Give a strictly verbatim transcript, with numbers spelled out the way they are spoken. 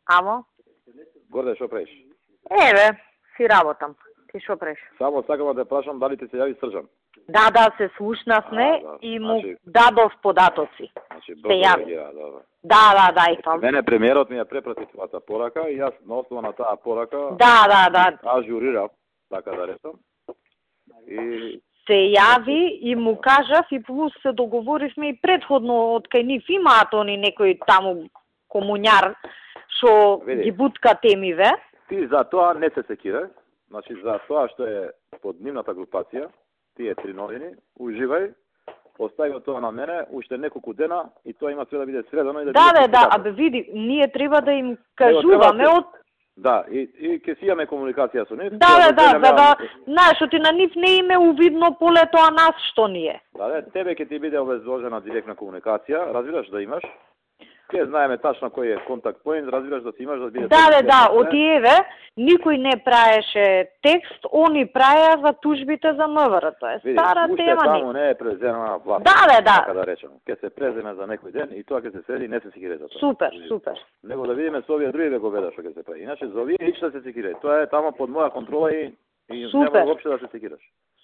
Амо? Горде, шо правиш? Еве, си работам. Ти шо правиш? Само сакам да те прашам дали ти се јави Срđan. Да, да, се слушнавме да. и му Значи... дадов податоци. Значи, се јави. Реагира, добро. Да, да, да, и тоа. Мене премиерот ми ја препрати твојата порака и јас на основа на таа порака Да, да, да. ажурирав, така да речам. И се јави и му кажав и плюс се договоривме и предходно од кај нив имаат они некој таму комуњар што ги бутка темиве. Ти за тоа не се секирај, значи за тоа што е под нивната групација, тие три новини, уживај, остави тоа на мене, уште неколку дена и тоа има све да биде средано и да Да, биде. Да, да, абе види, ние треба да им кажуваме од Да, и, и ќе си имаме комуникација со нив. Да, да, да, да, да, знаеш, ти на нив не име увидно полето, а нас што ние. Да, да, тебе ќе ти биде обезложена директна комуникација, разбираш да имаш. Ке знаеме тачно кој е контакт поинт, разбираш да си имаш да биде. Да, да, да, од еве никој не праеше текст, они праеа за тужбите за МВР, тоа е стара Види, тема. Таму не е преземена власт. Да, да, да. Така да речем, ке се преземе за некој ден и тоа ќе се среди, не се секире за тоа. Супер, супер. Него да видиме со овие други вековеда што ќе се прави. Иначе за овие иш да се секире. Тоа е таму под моја контрола и и Супер. нема воопшто да се секираш.